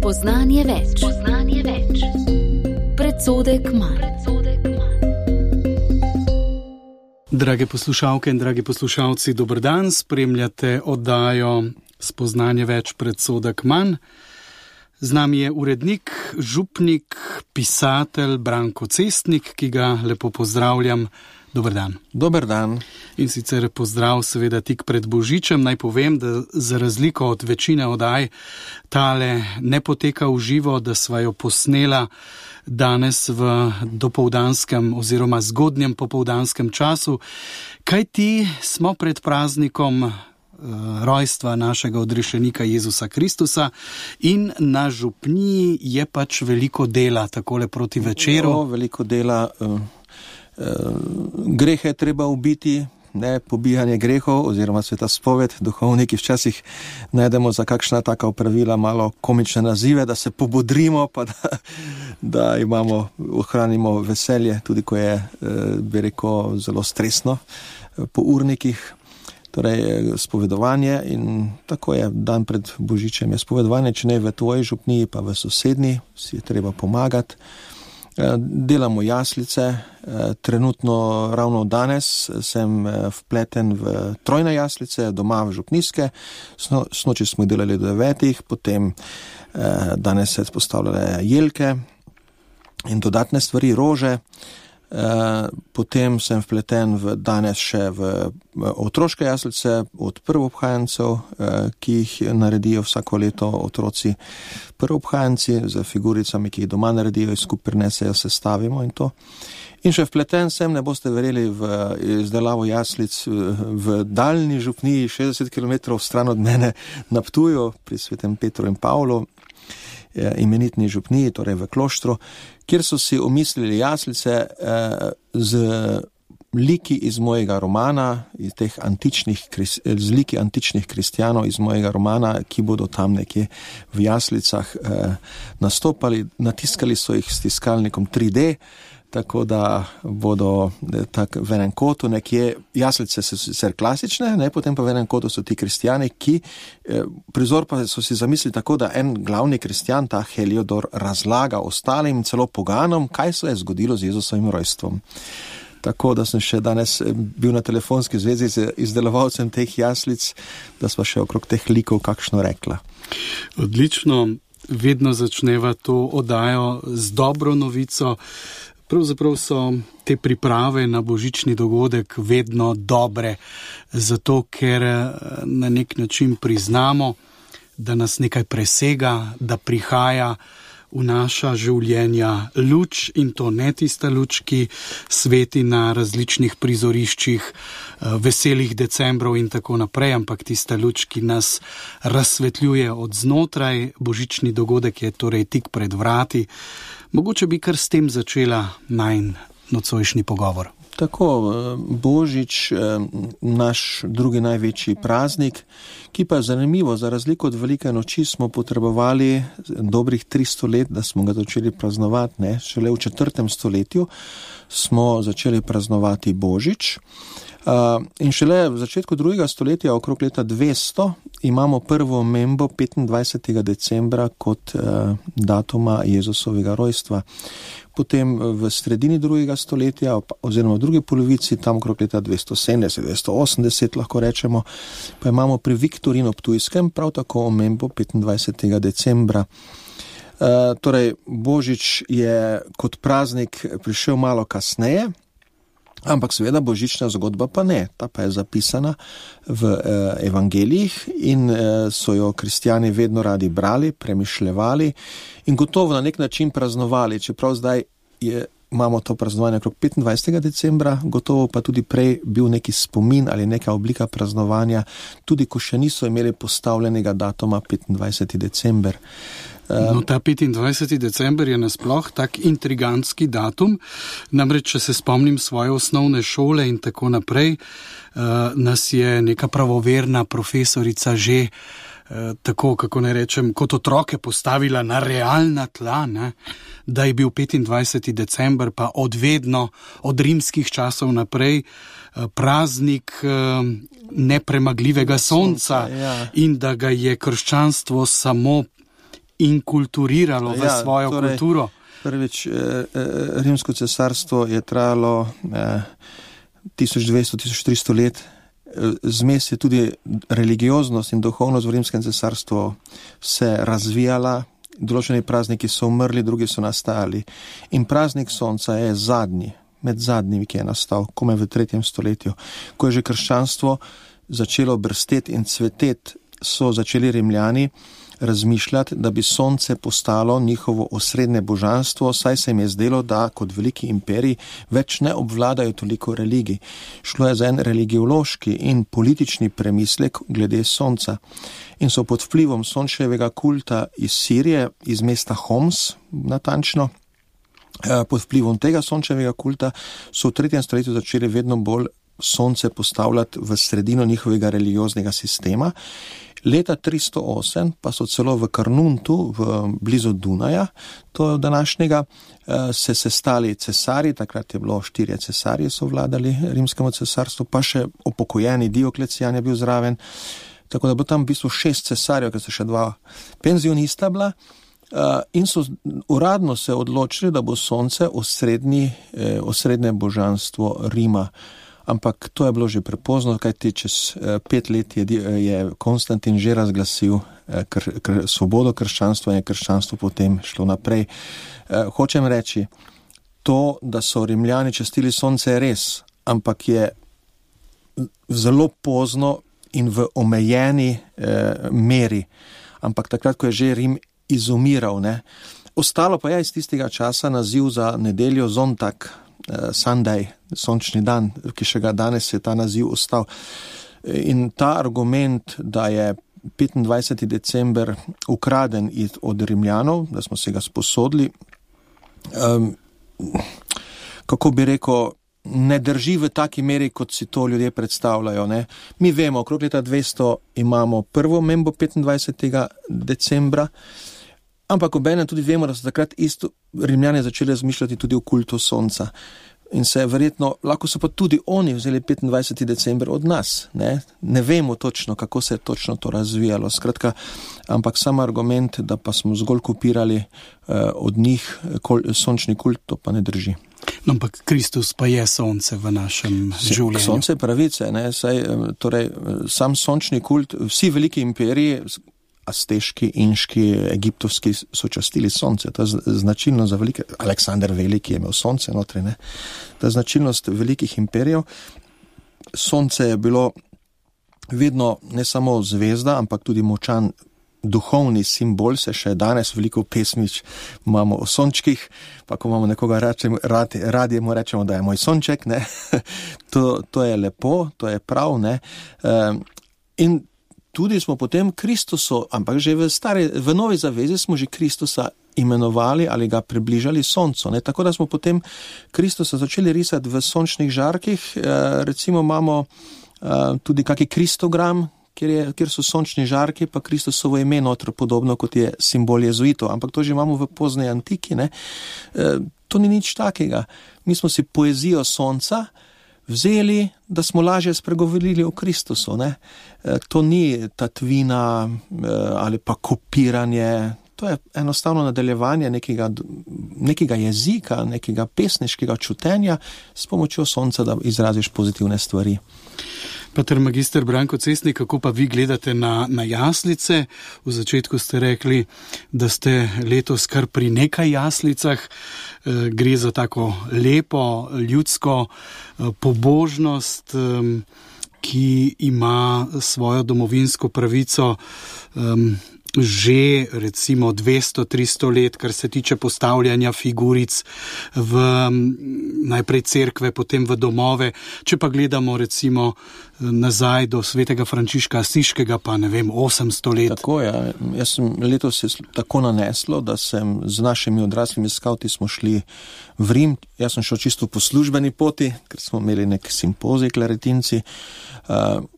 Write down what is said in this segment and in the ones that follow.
Spoznanje več. Predsodek manj. Drage poslušalke in dragi poslušalci, dober dan, spremljate oddajo Spoznanje več, predsodek manj. Z nami je urednik, župnik, pisatelj Branko Cestnik, ki ga lepo pozdravljam. Dober dan. Dober dan. In sicer pozdrav seveda tik pred Božičem. Naj povem, da za razliko od večine oddaj tale ne poteka v živo, da sva jo posnela danes v dopoldanskem oziroma zgodnjem popoldanskem času. Kajti smo pred praznikom rojstva našega odrešenika Jezusa Kristusa in na župniji je pač veliko dela takole proti večeru. Veliko dela. Grehe je treba ubiti, ne pobijanje grehov oziroma sveta spoved. Duhovniki včasih najdemo za kakšna taka opravila malo komične nazive, da se pobodrimo, pa da ohranimo veselje, tudi ko je, bi rekel, zelo stresno po urnikih. Torej, spovedovanje in tako je dan pred Božičem je spovedovanje, če ne v tvoji župniji, pa v sosednji, si je treba pomagati. Delamo jaslice, trenutno ravno danes sem vpleten v trojne jaslice, doma v župnijske, snoči smo jih delali do 9, potem danes se postavljale jelke in dodatne stvari, rože, potem sem vpleten danes še v otroške jaslice od prvobhajencev, ki jih naredijo vsako leto otroci prvobhajenci z figuricami, ki jih doma naredijo, jih skupaj prinesejo, sestavimo in to. In še vpleten sem, ne boste verjeli, v izdelavo jaslic v daljni župniji 60 km stran od mene na Ptuju pri Svetem Petru in Pavlu, imenitni župniji, torej v kloštru, kjer so si omislili jaslice z liki iz mojega romana, iz teh z liki antičnih kristjanov iz mojega romana, ki bodo tam nekje v jaslicah nastopali. Natiskali so jih s tiskalnikom 3D, tako da bodo tak v enem kotu nekje, jaslice so sicer klasične, ne, potem pa v enem kotu so ti kristjani, ki prizor pa so si zamislili tako, da en glavni kristjan, ta Heliodor, razlaga ostalim, celo poganom, kaj se je zgodilo z Jezusovim rojstvom. Tako da sem še danes bil na telefonski zvezi z izdelovalcem teh jaslic, da sva še okrog teh likov kakšno rekla. Odlično, vedno začneva to oddajo z dobro novico. Pravzaprav so te priprave na božični dogodek vedno dobre, zato ker na nek način priznamo, da nas nekaj presega, da prihaja v naša življenja luč, in to ne tista luč, ki sveti na različnih prizoriščih, veselih decembrov in tako naprej, ampak tista luč, ki nas razsvetljuje od znotraj. Božični dogodek je torej tik pred vrati. Mogoče bi kar s tem začela najin nocojšnji pogovor. Tako, Božič, naš drugi največji praznik, ki pa je zanimivo, za razliko od velike noči smo potrebovali dobrih 300 let, da smo ga začeli praznovati, ne? Šele v 4. stoletju smo začeli praznovati Božič. In šele v začetku 2. stoletja, okrog leta 200, imamo prvo omembo 25. decembra kot datuma Jezusovega rojstva. Potem v sredini 2. stoletja, oziroma v drugi polovici, tam okrog leta 270, 280 lahko rečemo, pa imamo pri Viktorinu Ptujskem prav tako omembo 25. decembra. Torej, Božič je kot praznik prišel malo kasneje, ampak seveda božična zgodba pa ne. Ta pa je zapisana v evangelijih in so jo kristjani vedno radi brali, premišljevali in gotovo na nek način praznovali, čeprav zdaj imamo to praznovanje okrog 25. decembra, gotovo pa tudi prej bil neki spomin ali neka oblika praznovanja, tudi ko še niso imeli postavljenega datuma 25. december. No, ta 25. december je nasploh tak intrigantski datum, namreč, če se spomnim svoje osnovne šole in tako naprej, nas je neka pravoverna profesorica že tako, kako ne rečem, kot otroke postavila na realna tla, ne? Da je bil 25. december pa odvedno, od rimskih časov naprej, praznik nepremagljivega sonca, ja. In da ga je krščanstvo samo inkulturiralo v svojo kulturo? Prvič, Rimsko cesarstvo je trajalo 1200-1300 let. Zmes je tudi religioznost in duhovnost v Rimskem cesarstvu se razvijala. Določeni prazniki so umrli, drugi so nastajali. In praznik sonca je zadnji, med zadnjimi, ki je nastal, komaj v 3. stoletju. Ko je že krščanstvo začelo brsteti in cveteti, so začeli Rimljani razmišljati, da bi sonce postalo njihovo osrednje božanstvo, saj se jim je zdelo, da kot veliki imperij več ne obvladajo toliko religij. Šlo je za en religiološki in politični premislek glede sonca. In so pod vplivom sončevega kulta iz Sirije, iz mesta Homs, natančno, pod vplivom tega sončevega kulta so v 3. stoletju začeli vedno bolj sonce postavljati v sredino njihovega religioznega sistema. Leta 308 pa so celo v Karnuntu, blizu Dunaja, to je današnjega, se sestali cesarji, takrat je bilo 4 cesarji, so vladali Rimskemu cesarstvu, pa še upokojeni Dioklecijan je bil zraven, tako da bo tam v bistvu 6 cesarjev, ker so še 2 penzionista bila, in so uradno se odločili, da bo sonce osrednje božanstvo Rima. Ampak to je bilo že prepozno, kajti čez 5 let je Konstantin že razglasil svobodo krščanstva in je krščanstvo potem šlo naprej. Hočem reči, to, da so Rimljani častili sonce, je res, ampak je zelo pozno in v omejeni meri. Ampak takrat, ko je že Rim izumiral, ne. Ostalo pa je iz tistega časa naziv za nedeljo Zontag, Sunday, sončni dan, ki še ga danes je ta naziv ostal. In ta argument, da je 25. december ukraden od Rimljanov, da smo se ga sposodili, kako bi rekel, ne drži v taki meri, kot si to ljudje predstavljajo. Ne? Mi vemo, okrog leta 200 imamo prvo membo 25. decembra, ampak obenem tudi vemo, da so takrat isto Rimljani začeli razmišljati tudi o kultu sonca. In se verjetno, lahko so pa tudi oni vzeli 25. december od nas. Ne vemo točno, kako se je točno to razvijalo. Skratka, ampak sam argument, da pa smo zgolj kopirali od njih sončni kult, to pa ne drži. No, ampak Kristus pa je sonce v našem življenju. Sonce pravice, torej sam sončni kult, vsi veliki imperiji, azteški, inški, egiptovski, so častili sonce. To je značilnost za velike, Aleksander Veliki je imel sonce notri, ne. To je značilnost velikih imperijev. Sonce je bilo vedno ne samo zvezda, ampak tudi močan duhovni simbol, se še danes veliko pesmič imamo o sončkih, pa ko imamo nekoga radi mu rečemo, da je moj sonček, ne. To je lepo, to je prav, ne. In tudi smo potem Kristusu, ampak že v Novi zavezi smo že Kristusa imenovali ali ga približali soncu. Ne? Tako da smo potem Kristusa začeli risati v sončnih žarkih. Recimo imamo tudi kaki kristogram, kjer so sončni žarki, pa Kristusovo ime notro, podobno kot je simbol jezuitov. Ampak to že imamo v poznej antiki. Ne? To ni nič takega. Mi smo si poezijo sonca vzeli, da smo lažje spregovorili o Kristusu. Ne? To ni tatvina ali pa kopiranje, to je enostavno nadaljevanje nekega jezika, nekega pesniškega čutenja s pomočjo sonca, da izraziš pozitivne stvari. Pater magister Branko Cestnik, kako pa vi gledate na jaslice? V začetku ste rekli, da ste letos kar pri nekaj jaslicah. Gre za tako lepo, ljudsko pobožnost, ki ima svojo domovinsko pravico že recimo 200-300 let, kar se tiče postavljanja figuric v najprej cerkve, potem v domove. Če pa gledamo recimo nazaj do svetega Frančiška Asiškega, pa ne vem, 800 let. Tako je. Jaz sem letos se tako naneslo, da sem z našimi odraslimi skavti smo šli v Rim. Jaz sem šel čisto po službeni poti, ker smo imeli nek simpozij klaretinci,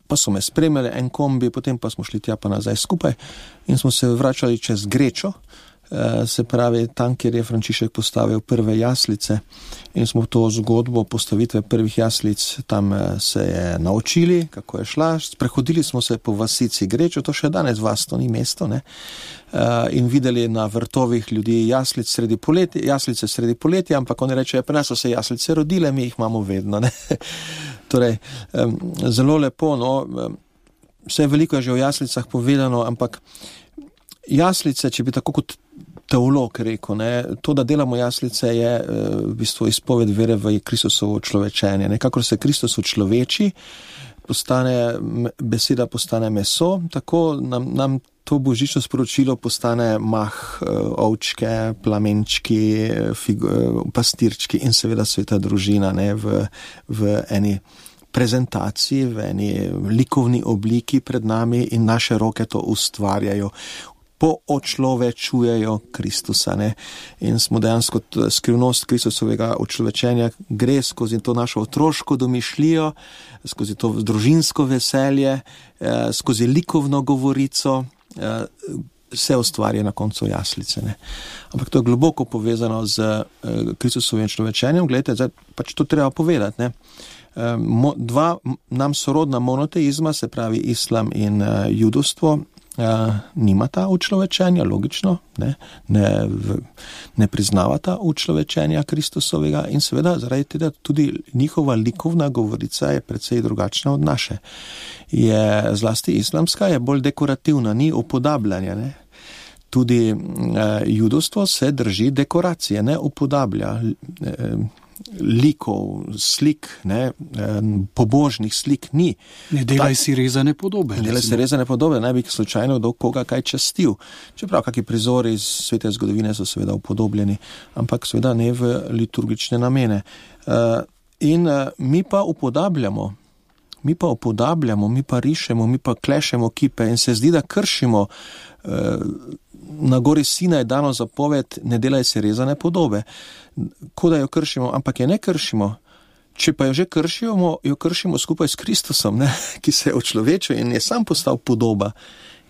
pa so me spremljali en kombi, potem pa smo šli tja pa nazaj skupaj in smo se vračali čez Grečo, se pravi tam, kjer je Frančišek postavil prve jaslice in smo to zgodbo postavitve prvih jaslic tam se je naučili, kako je šla. Sprehodili smo se po vasici Grečo, to še danes vas, to ni mesto, ne? In videli na vrtovih ljudi jaslice sredi poletja, ampak oni rečejo, pri nas so se jaslice rodile, mi jih imamo vedno, ne? Torej, zelo lepo, no, vse veliko je že o jaslicah povedano, ampak jaslice, če bi tako kot teolog rekel, ne, to, da delamo jaslice, je v bistvu izpoved vere v Kristusovo človečenje. Nekakor se Kristus človeči, beseda postane meso, tako nam to božično sporočilo postane mah, ovčke, plamenčki, pastirčki in seveda sveta družina, ne, v eni prezentaciji, v eni likovni obliki pred nami in naše roke to ustvarjajo, poočlovečujejo Kristusa, ne. In smo dejansko skrivnost Kristusovega očlovečenja gre skozi to našo otroško domišljijo, skozi to družinsko veselje, skozi likovno govorico, vse ustvarja na koncu jaslice, ne. Ampak to je globoko povezano z Kristusovim človečenjem. Glejte, zdaj pač to treba povedati, ne. Dva nam sorodna monoteizma, se pravi islam in judovstvo, nimata učlovečenja, logično, ne priznavata učlovečenja Kristusovega in seveda zaradi tega tudi njihova likovna govorica je precej drugačna od naše. Je zlasti islamska, je bolj dekorativna, ni upodabljanja, ne. Tudi judovstvo se drži dekoracije, ne upodablja likov, slik, ne, pobožnih slik ni. Ne delaj si rezane podobe. Ne delaj si rezane podobe, ne bi slučajno do koga kaj častil. Čeprav kakšni prizori iz svete zgodovine so seveda upodobljeni, ampak seveda ne v liturgične namene. In mi pa upodabljamo, mi pa rišemo, mi pa klešemo kipe in se zdi, da kršimo. Na gori Sinaj je dano zapoved, ne delaj si rezane podobe. Ko da jo kršimo, ampak je ne kršimo. Če pa jo že kršimo, jo kršimo skupaj s Kristusom, ne? Ki se je očlovečil in je sam postal podoba.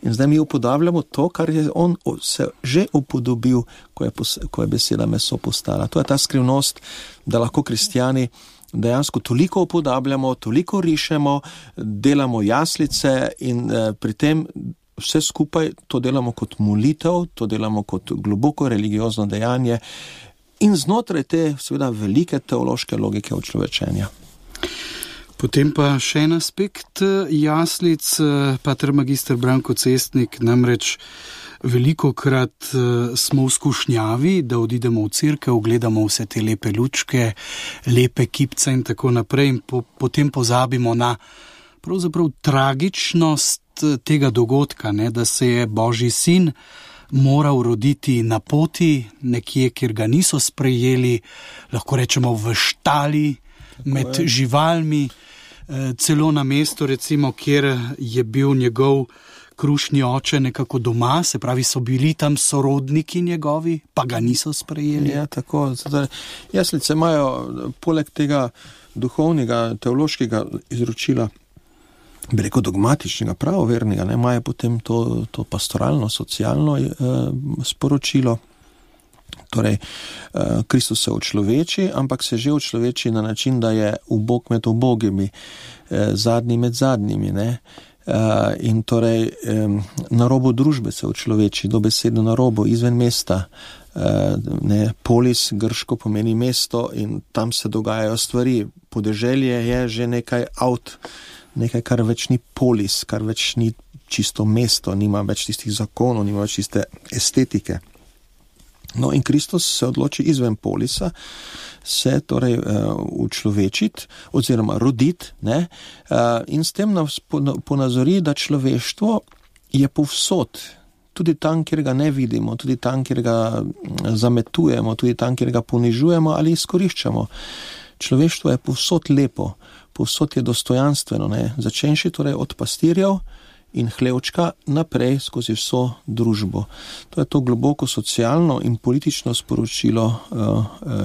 In zdaj mi upodabljamo to, kar je on se že upodobil, ko je beseda meso postala. To je ta skrivnost, da lahko kristjani dejansko toliko upodabljamo, toliko rišemo, delamo jaslice in pri tem vse skupaj to delamo kot molitev, to delamo kot globoko religiozno dejanje in znotraj te seveda velike teološke logike očlovečenja. Potem pa še en aspekt jaslic, pater magister Branko Cestnik, namreč velikokrat smo v skušnjavi, da odidemo v cerkev, gledamo vse te lepe lučke, lepe kipce in tako naprej in potem pozabimo na pravzaprav tragičnost tega dogodka, ne, da se je Božji sin moral roditi na poti, nekje, kjer ga niso sprejeli, lahko rečemo v štali, med živalmi, celo na mesto, recimo, kjer je bil njegov krušni oče nekako doma, se pravi, so bili tam sorodniki njegovi, pa ga niso sprejeli. Ja, tako. Jaslice imajo poleg tega duhovnega, teološkega izročila, bi rekel dogmatičnega, pravovernega, ne, imajo potem to pastoralno, socialno sporočilo. Torej, Kristus se očloveči, ampak se že očloveči na način, da je ubog med ubogimi, zadnji med zadnjimi, ne. In torej na robu družbe se očloveči, dobesedno na robu, izven mesta. Ne, polis grško pomeni mesto in tam se dogajajo stvari. Podeželje je že nekaj, kar več ni polis, kar več ni čisto mesto, nima več tistih zakonov, nima več tiste estetike. No in Kristus se odloči izven polisa, se torej učlovečiti oziroma roditi, ne, in s tem nas ponazori, da človeštvo je povsod, tudi tam, kjer ga ne vidimo, tudi tam, kjer ga zametujemo, tudi tam, kjer ga ponižujemo ali izkoriščamo. Človeštvo je povsod lepo, povsod je dostojanstveno, ne, začenši torej od pastirjev in hlevčka naprej skozi vso družbo. To je to globoko socialno in politično sporočilo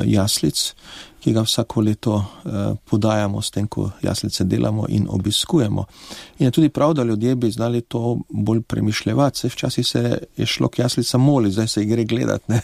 jaslic, ki ga vsako leto podajamo s tem, ko jaslice delamo in obiskujemo. In je tudi prav, da ljudje bi znali to bolj premišljevati. Včasih se je šlo k jaslica moli, zdaj se gre gledati, ne?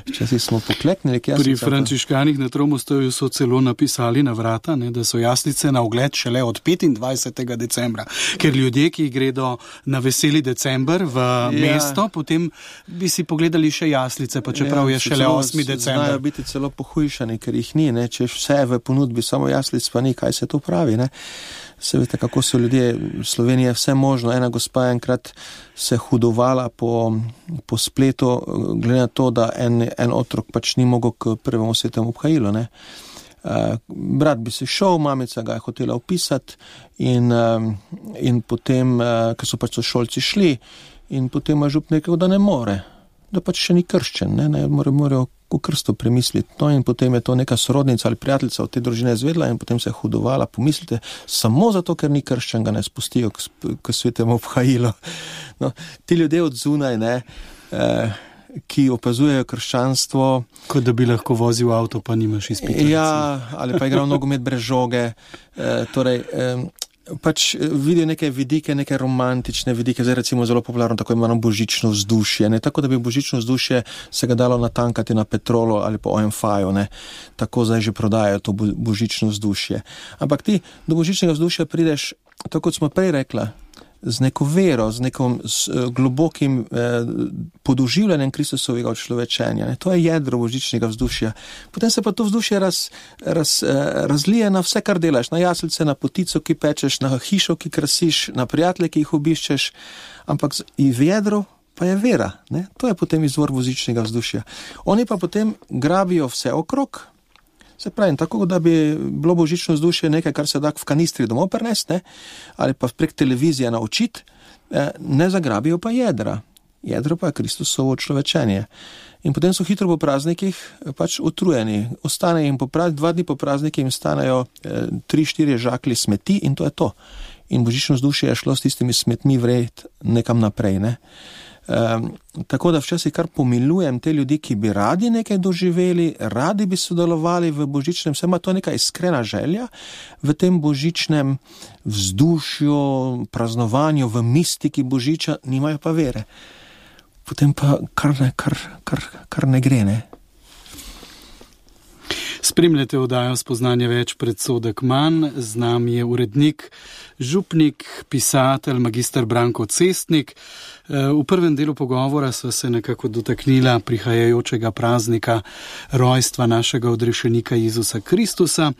Včasih smo pokleknili k jaslicam. Pri frančiškanih na Tromostovju so celo napisali na vrata, ne, da so jaslice na ogled šele od 25. decembra, ker ljudje, ki gredo na veseli december v mesto, potem bi si pogledali še jaslice, pa čeprav je šele 8. december. Znajo biti celo pohujšani, ker jih ni, ne? Če vse v ponudbi, samo jaslic pa ni, kaj se to pravi, ne? Se veste, kako so ljudje, v Sloveniji je vse možno. Ena gospa enkrat se hudovala po spletu, glede na to, da en otrok pač ni mogel k prvemu svetemu obhajilu, ne. Brat bi se šel, mamica ga je hotela opisati in potem, ker so pač sošolci šli, in potem je žup rekel, da ne more, da pač še ni krščen, ne morajo o krstu premisliti. No, in potem je to neka sorodnica ali prijateljica od te družine izvedla in potem se je hudovala. Pomislite, samo zato, ker ni krščen, ga ne spustijo k svetemu obhajilu. No, ti ljudje od zunaj, ne, ki opazujejo krščanstvo. Kot da bi lahko vozil avto, pa nimaš izpita. Ja, ali pa igral nogomet brez žoge. Pač vidijo neke vidike, neke romantične vidike, zdaj recimo zelo popularno tako imamo božično vzdušje, ne, tako da bi božično vzdušje se ga dalo natankati na Petrolu ali po OMF-ju, ne, tako zdaj že prodajajo to božično vzdušje. Ampak ti do božičnega vzdušja prideš, tako kot smo prej rekla, z neko vero, z nekom globokim podoživljanjem Kristusovega človečenja. Ne? To je jedro božičnega vzdušja. Potem se pa to vzdušje razlije na vse, kar delaš. Na jaslice, na potico, ki pečeš, na hišo, ki krasiš, na prijatelje, ki jih obiščeš. Ampak v jedru pa je vera. Ne? To je potem izvor božičnega vzdušja. Oni pa potem grabijo vse okrog. Se pravi, tako da bi bilo božično vzdušje nekaj, kar se da v kanistri domov prenesti, ne? Ali pa prek televizije naučiti, ne zagrabijo pa jedra. Jedro pa je Kristusovo človečenje. In potem so hitro po praznikih pač utrujeni. Ostane jim 2 dni po prazniki jim stanejo 3-4 žaklji smeti in to je to. In božično vzdušje je šlo s tistimi smetmi vred nekam naprej, ne? Tako da včasih kar pomilujem te ljudi, ki bi radi nekaj doživeli, radi bi sodelovali v božičnem, vse ima to neka iskrena želja v tem božičnem vzdušju, praznovanju, v mistiki božiča, nimajo pa vere. Potem pa kar ne gre, ne? Spremljate oddajo Spoznanje več, predsodek manj. Z nami je urednik, župnik, pisatelj, magister Branko Cestnik. V prvem delu pogovora sva se nekako dotaknila prihajajočega praznika rojstva našega odrešenika Jezusa Kristusa.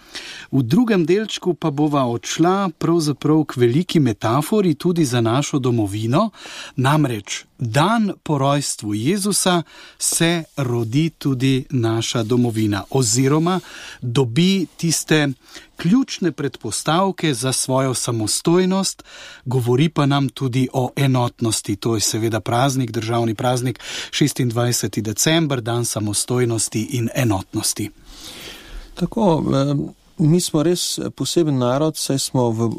V drugem delčku pa bova odšla pravzaprav k veliki metafori tudi za našo domovino, namreč dan po rojstvu Jezusa se rodi tudi naša domovina oziroma dobi tiste ključne predpostavke za svojo samostojnost, govori pa nam tudi o enotnosti. To je seveda praznik, državni praznik, 26. december, dan samostojnosti in enotnosti. Tako, mi smo res poseben narod, saj smo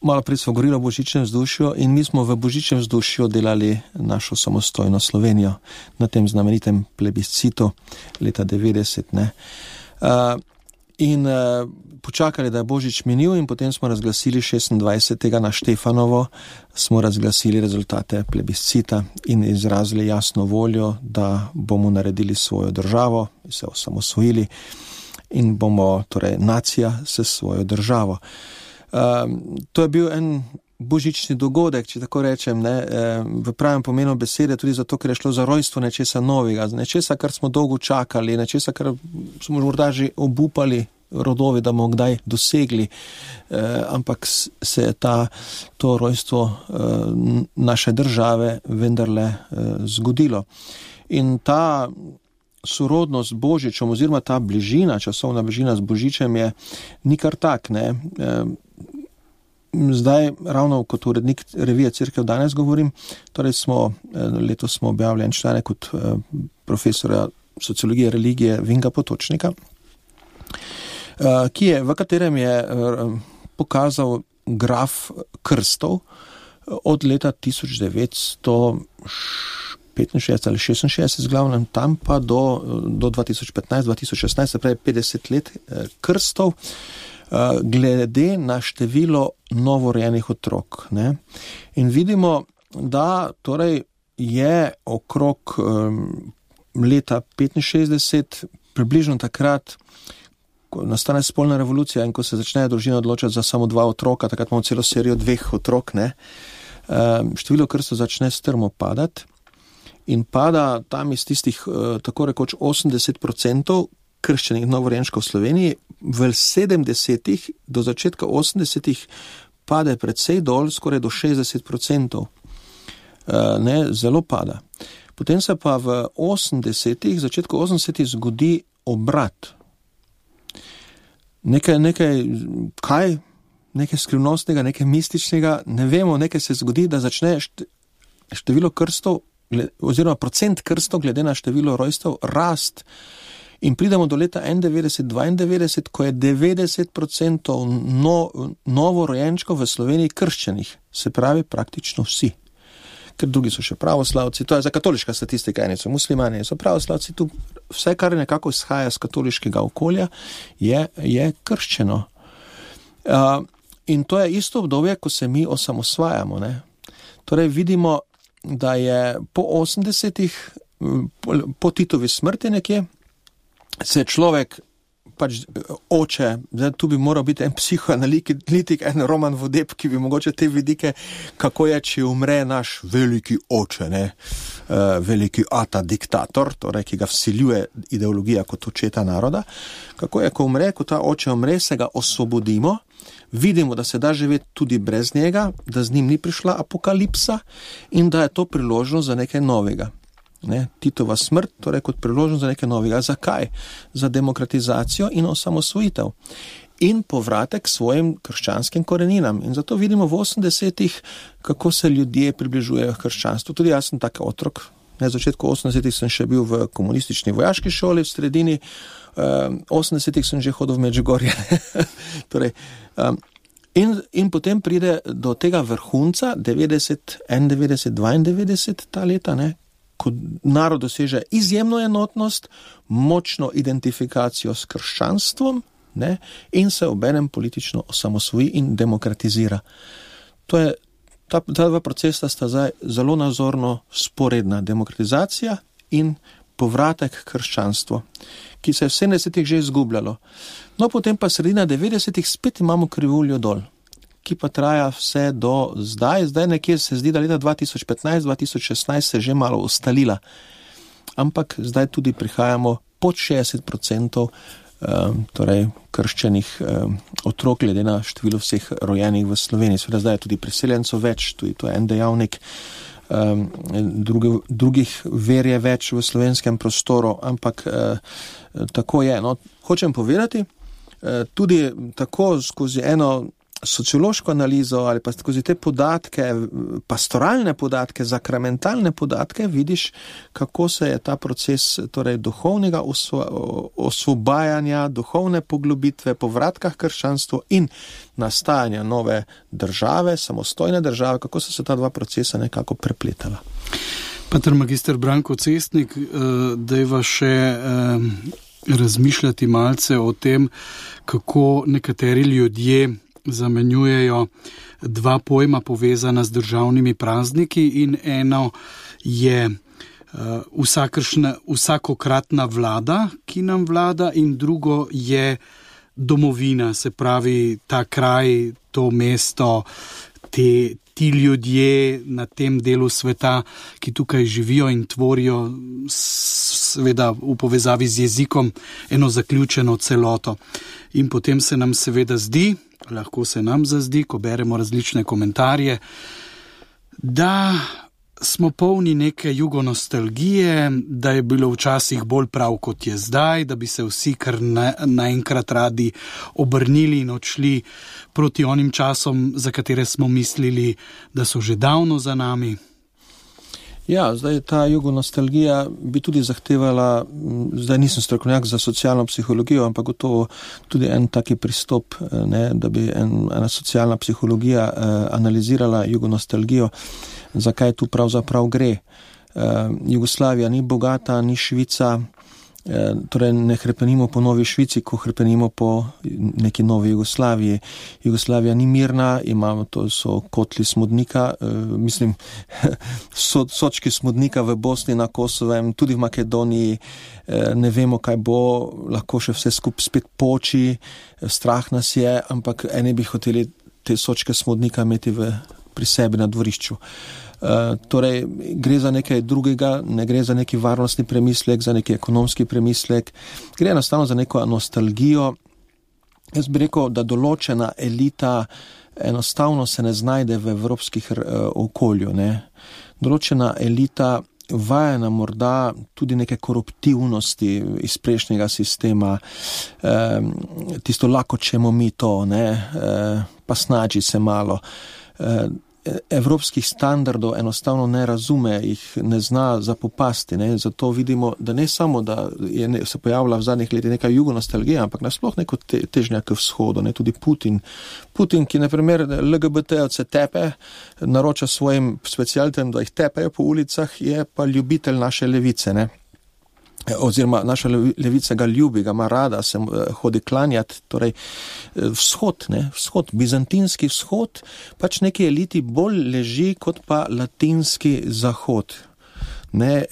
malo prej smo govorili o božičnem vzdušju in mi smo v božičnem vzdušju delali našo samostojno Slovenijo na tem znamenitem plebiscitu leta 90, ne. In počakali, da je božič minil in potem smo razglasili 26. na Štefanovo, smo razglasili rezultate plebiscita in izrazili jasno voljo, da bomo naredili svojo državo, se osamosvojili in bomo, torej nacija, s svojo državo. To je bil en božični dogodek, če tako rečem, ne, v pravem pomenu besede, tudi zato, ker je šlo za rojstvo nečesa novega, nečesa, kar smo dolgo čakali, nečesa, kar smo morda že obupali rodovi, da bomo kdaj dosegli, ampak se je to rojstvo naše države vendarle zgodilo. In ta sorodnost z Božičem oziroma ta bližina, časovna bližina z Božičem je ni kar tak, ne. Zdaj, ravno kot urednik revije Cerkev danes govorim, torej letos smo objavili en članek od profesora sociologije religije Vinka Potočnika, v katerem je pokazal graf krstov od leta 1965 ali 66 glavnem tam pa do 2015-2016, se pravi 50 let krstov, glede na število novorojenih otrok. Ne? In vidimo, da torej je okrog leta 65, približno takrat, ko nastane spolna revolucija in ko se začnejo družine odločati za samo 2 otroka, takrat imamo celo serijo 2 otrok, ne? Število krstov začne strmo padati in pada tam iz tistih tako rekoč 80% krščenih novorojenčkov v Sloveniji, v 70-ih do začetka 80-ih pade precej dol, skoraj do 60%. Ne, zelo pada. Potem se pa v 80-ih, začetku 80-ih zgodi obrat. Nekaj skrivnostnega, nekaj mističnega, ne vemo, nekaj se zgodi, da začne število krstov, oziroma procent krstov glede na število rojstev rast. In pridemo do leta 91-92, ko je 90% novorojenčkov v Sloveniji krščenih, se pravi praktično vsi. Ker drugi so še pravoslavci, to je za katoliška statistika, eni so muslimani, so pravoslavci, tu vse, kar nekako izhaja z katoliškega okolja, je krščeno. In to je isto obdobje, ko se mi osamosvajamo. Ne? Torej vidimo, da je po 80-ih, po Titovi smrti nekje, se človek, pač oče, zdaj tu bi moral biti en psihoanalitik, en Roman Vodeb, ki bi mogoče te vidike, kako je, če umre naš veliki oče, ne? Veliki ata diktator, torej, ki ga vsiljuje ideologija kot očeta naroda, kako je, ko umre, ko ta oče umre, se ga osvobodimo, vidimo, da se da živeti tudi brez njega, da z njim ni prišla apokalipsa in da je to priložnost za nekaj novega. Ne, Titova smrt, torej kot priložnost za nekaj novega. Zakaj? Za demokratizacijo in osamosvojitev. In povratek svojim krščanskim koreninam. In zato vidimo v 80-ih, kako se ljudje približujejo krščanstvu. Tudi jaz sem tak otrok. Na začetku 80-ih sem še bil v komunistični vojaški šoli, v sredini 80-ih sem že hodil v Medžugorje. Torej, in potem pride do tega vrhunca 90, 91, 92 ta leta, ne? Ko narod doseže izjemno enotnost, močno identifikacijo s krščanstvom, ne, in se obenem politično osamosvoji in demokratizira. To je, ta 2 procesa sta zdaj zelo nazorno sporedna. Demokratizacija in povratek krščanstvo, ki se je v 70-ih že izgubljalo. No, potem pa sredina 90-ih spet imamo krivuljo dol, ki pa traja vse do zdaj. Zdaj nekje se zdi, da leta 2015-2016 se je že malo ustalila. Ampak zdaj tudi prihajamo pod 60% torej krščenih otrok, glede na število vseh rojenih v Sloveniji. Seveda zdaj je tudi priseljencev več, tudi to je en dejavnik. Drugih ver je več v slovenskem prostoru, ampak tako je. No, hočem povedati, tudi tako skozi eno sociološko analizo ali pa skozi te podatke, pastoralne podatke, sakramentalne podatke, vidiš, kako se je ta proces torej duhovnega osvobajanja, duhovne poglobitve, povratka k krščanstvu in nastajanja nove države, samostojne države, kako so se ta 2 procesa nekako prepletala. Pater magister Branko Cestnik, dajva še razmišljati malce o tem, kako nekateri ljudje zamenjujejo 2 pojma povezana z državnimi prazniki in eno je vsakokratna vlada, ki nam vlada, in drugo je domovina, se pravi ta kraj, to mesto, ti ljudje na tem delu sveta, ki tukaj živijo in tvorijo seveda v povezavi z jezikom eno zaključeno celoto. In potem se nam seveda zdi, lahko se nam zazdi, ko beremo različne komentarje, da smo polni neke jugonostalgije, da je bilo včasih bolj prav, kot je zdaj, da bi se vsi kar naenkrat radi obrnili in odšli proti onim časom, za katere smo mislili, da so že davno za nami. Ja, zdaj ta jugonostalgija bi tudi zahtevala, zdaj nisem strokovnjak za socialno psihologijo, ampak gotovo tudi en taki pristop, ne, da bi ena socialna psihologija analizirala jugonostalgijo, zakaj tu pravzaprav gre. Jugoslavija ni bogata, ni Švica, torej ne hrepenimo po novi Švici, ko hrepenimo po neki novi Jugoslaviji. Jugoslavija ni mirna, to so kotli smodnika, sočki smodnika v Bosni, na Kosovem, tudi v Makedoniji, ne vemo, kaj bo, lahko še vse skupaj spet poči, strah nas je, ampak eni bi hoteli te sočke smodnika imeti pri sebi na dvorišču. Torej, gre za nekaj drugega, ne gre za neki varnostni premislek, za neki ekonomski premislek, gre enostavno za neko nostalgijo. Jaz bi rekel, da določena elita enostavno se ne znajde v evropskih okolju, ne. Določena elita vajena morda tudi neke koruptivnosti iz prejšnjega sistema, tisto lako čemo mi to, ne, pa snađi se malo. Evropskih standardov enostavno ne razume, jih ne zna zapopasti, ne? Zato vidimo, da ne samo, da se pojavila v zadnjih letih neka jugonostalgija, ampak nasploh neko težnja k vzhodu, ne? Tudi Putin, ki na primer LGBT-ovce tepe, naroča svojim specialitem, da jih tepejo po ulicah, je pa ljubitelj naše levice, ne? Oziroma naša levica ga ljubi, ga ima rada, se hodi klanjati, torej vzhod, bizantinski vzhod, pač neki eliti bolj leži kot pa latinski zahod. Ne,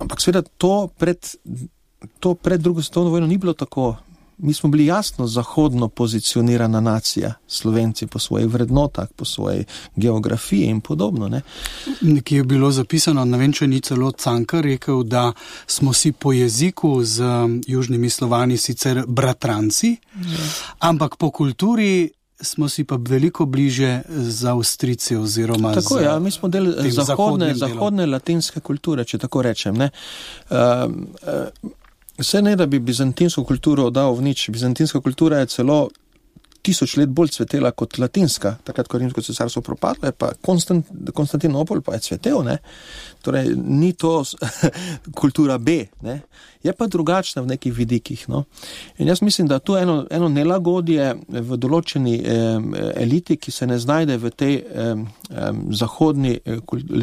ampak seveda to pred drugo svetovno vojno ni bilo tako. Mi smo bili jasno zahodno pozicionirana nacija, Slovenci po svojih vrednotah, po svoji geografiji in podobno. Ne? Nekje je bilo zapisano, ne vem, če ni celo Cankar rekel, da smo si po jeziku z južnimi Slovani sicer bratranci, ampak po kulturi smo si pa veliko bliže z Avstrijci oziroma tako, ja, mi smo del zahodne latinske kulture, če tako rečem, ne. Vse ne, da bi bizantinsko kulturo dal v nič. Bizantinska kultura je celo 1000 let bolj cvetela kot latinska. Takrat, ko Rimsko cesarstvo propadlo, je pa Konstantinopol pa je cvetel, ne. Torej, ni to kultura B, ne. Je pa drugačna v nekih vidikih, no. In jaz mislim, da tu eno nelagodje v določeni eliti, ki se ne znajde v tej zahodni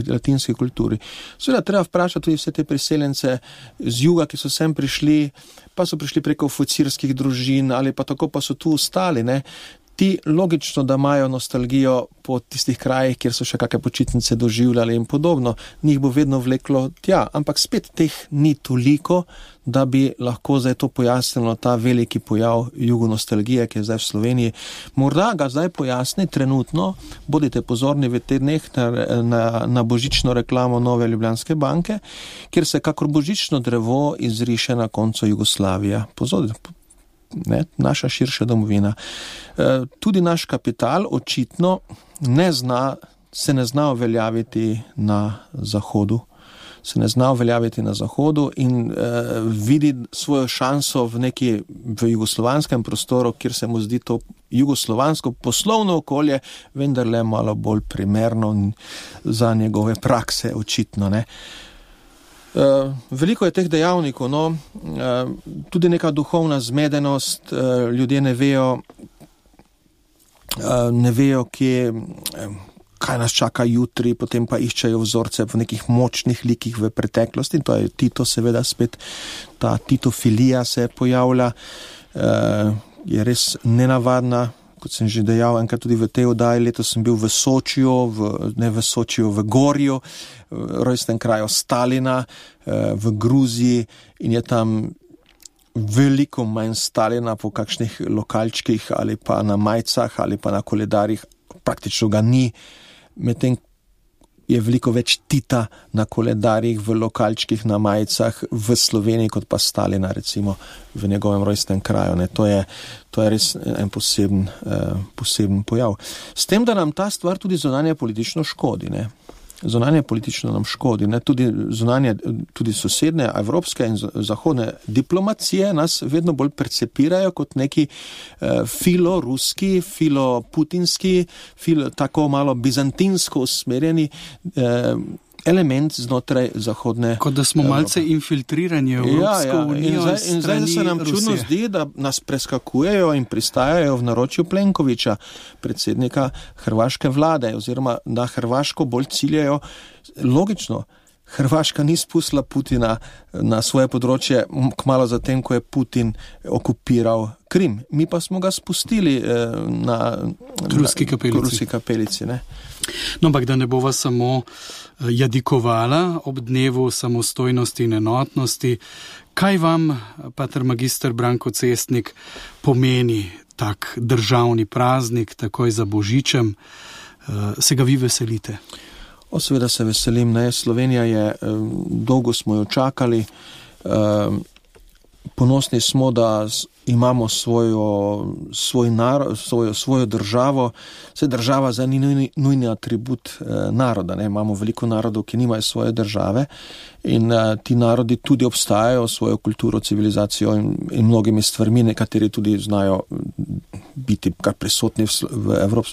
latinski kulturi. Seveda treba vprašati tudi vse te priseljence z juga, ki so sem prišli, pa so prišli preko oficirskih družin ali pa tako pa so tu ostali, ne. Ti logično, da imajo nostalgijo po tistih krajih, kjer so še kakšne počitnice doživljali in podobno, njih bo vedno vleklo tja, ampak spet teh ni toliko, da bi lahko zdaj to pojasnilo ta veliki pojav jugonostalgije, ki je zdaj v Sloveniji. Morda ga zdaj pojasni trenutno, bodite pozorni v teh dneh na božično reklamo Nove Ljubljanske banke, kjer se kakor božično drevo izriše na koncu Jugoslavija. Pozorite, ne, naša širša domovina. Tudi naš kapital očitno se ne zna uveljaviti na Zahodu. In vidi svojo šanso v jugoslovanskem prostoru, kjer se mu zdi to jugoslovansko poslovno okolje vendarle malo bolj primerno za njegove prakse očitno, ne. Veliko je teh dejavnikov, no, tudi neka duhovna zmedenost, ljudje ne vejo, kaj nas čaka jutri, potem pa iščejo vzorce v nekih močnih likih v preteklosti, in to je Tito, seveda spet ta titofilija se pojavlja, je res nenavadna. Kot sem že dejal, enkrat tudi v tej oddaji, letos sem bil v Sočiju, v Gorju, rojstnem kraju Stalina, v Gruziji, in je tam veliko manj Stalina po kakšnih lokalčkih ali pa na majcah ali pa na koledarjih, praktično ga ni, medtem je veliko več Tita na koledarjih, v lokalčkih, na majicah v Sloveniji, kot pa Stalina, recimo v njegovem rojstnem kraju. Ne. To je res en poseben pojav. S tem, da nam ta stvar tudi zunanje politično škodi, ne. Zunanje politično nam škodi, ne, tudi sosedne, evropske in zahodne diplomacije nas vedno bolj percepirajo kot neki filoruski, filoputinski, tako malo bizantinsko usmerjeni element znotraj zahodne Kot da smo malce infiltrirani v Evropsko unijo. In zdaj se nam čudno zdi, da nas preskakujejo in pristajajo v naročju Plenkovića, predsednika hrvaške vlade, oziroma na Hrvaško bolj ciljajo. Logično, Hrvaška ni spustila Putina na svoje področje kmalu zatem, ko je Putin okupiral Krim. Mi pa smo ga spustili na Ruski kapelici. Ne? No, ampak da ne bova samo jadikovala ob dnevu samostojnosti in enotnosti, kaj vam, pater magister Branko Cestnik, pomeni tak državni praznik, takoj za Božičem? Se ga vi veselite? Seveda se veselim, ne. Slovenija je, dolgo smo jo čakali, ponosni smo, da imamo svoj narod, svojo državo. Vse država za ni nujni atribut naroda, ne. Imamo veliko narodov, ki nimajo svoje države in ti narodi tudi obstajajo, svojo kulturo, civilizacijo in mnogimi stvarmi, nekateri tudi znajo biti kar prisotni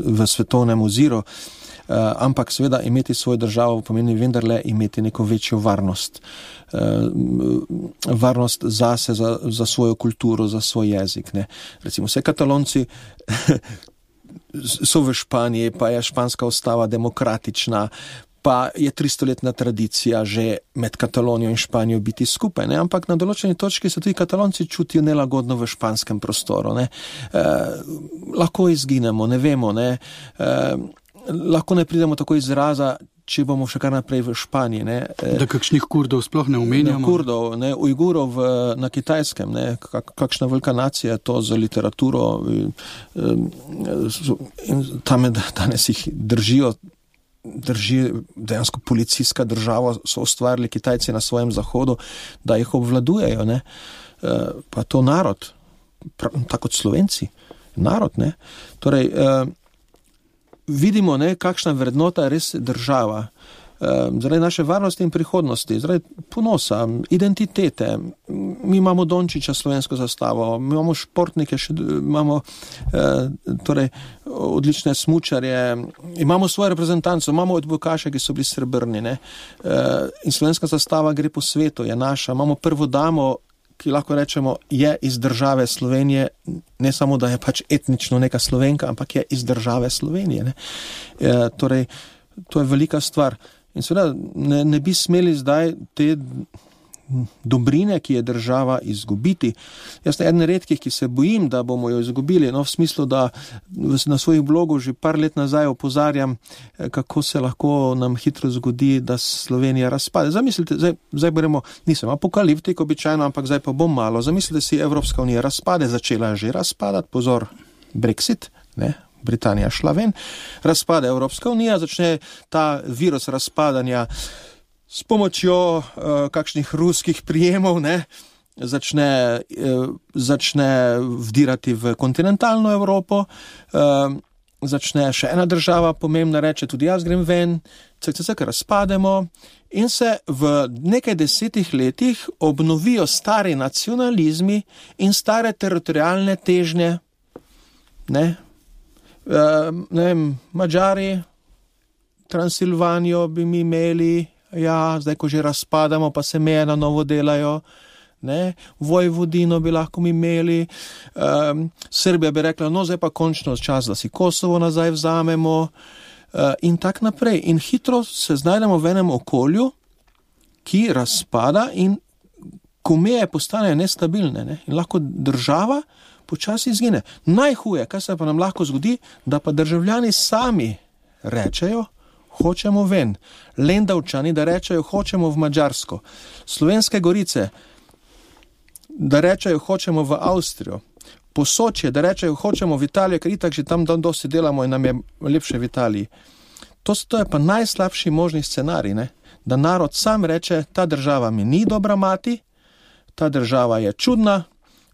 v svetovnem oziru. Ampak seveda imeti svojo državo pomeni vendarle imeti neko večjo varnost. Varnost zase, za svojo kulturo, za svoj jezik. Ne. Recimo vse Katalonci so v Španiji, pa je španska ustava demokratična, pa je 300-letna tradicija že med Katalonijo in Španijo biti skupaj. Ne. Ampak na določeni točki se tudi Katalonci čutijo nelagodno v španskem prostoru. Ne. Lahko izginemo, ne vemo, ne. Lahko ne pridemo tako izraza, če bomo še kar naprej v Španiji. Ne. Da kakšnih Kurdov sploh ne omenjamo? Kurdov, ne, Ujgurov na Kitajskem, ne, kakšna velika nacija je to za literaturo. In tam danes jih drži dejansko policijska država, so ustvarili Kitajci na svojem zahodu, da jih obvladujejo. Ne. Pa to narod, tako kot Slovenci, narod. Ne. Torej, vidimo, ne, kakšna vrednota je res država. Zaradi naše varnosti in prihodnosti, zaradi ponosa, identitete. Mi imamo Dončića, slovensko zastavo, mi imamo športnike, imamo torej odlične smučarje, imamo svoje reprezentanco, imamo odbojkaše, ki so bili srebrni. Ne. In slovenska zastava gre po svetu, je naša. Imamo prvo damo, ki lahko rečemo, je iz države Slovenije, ne samo, da je pač etnično neka Slovenka, ampak je iz države Slovenije. Ne. Torej, to je velika stvar. In seveda ne bi smeli zdaj te dobrine, ki je država, izgubiti. Jaz sem eden redkih, ki se bojim, da bomo jo izgubili, no, v smislu, da na svojih blogu že par let nazaj opozarjam, kako se lahko nam hitro zgodi, da Slovenija razpade. Zamislite, zdaj beremo, nisem apokaliptik običajno, ampak zdaj pa bom malo. Zamislite si, Evropska unija razpade, začela je že razpadati, pozor, Brexit, ne, Britanija šla ven, razpade Evropska unija, začne ta virus razpadanja s pomočjo kakšnih ruskih prijemov, ne, začne vdirati v kontinentalno Evropo, začne še ena država pomembna, reče tudi jaz grem ven, razpademo in se v nekaj 10 letih obnovijo stari nacionalizmi in stare teritorijalne težnje. Ne vem, Madžari, Transilvanijo bi mi imeli, ja, zdaj ko že razpadamo, pa se meje na novo delajo, ne, Vojvodino bi lahko mi imeli, Srbija bi rekla, no zdaj pa končno čas, da si Kosovo nazaj vzamemo, in tak naprej. In hitro se znajdemo v enem okolju, ki razpada in ko meje postanejo nestabilne, ne, in lahko država počasi izgine. Najhuje, kaj se pa nam lahko zgodi, da pa državljani sami rečejo, hočemo ven. Lendavčani, da rečejo, hočemo v Madžarsko. Slovenske Gorice, da rečejo, hočemo v Avstrijo. Posočje, da rečejo, hočemo v Italijo, ker itak že tam dosti delamo in nam je lepše v Italiji. To je pa najslabši možni scenarij, ne? Da narod sam reče, ta država mi ni dobra mati, ta država je čudna,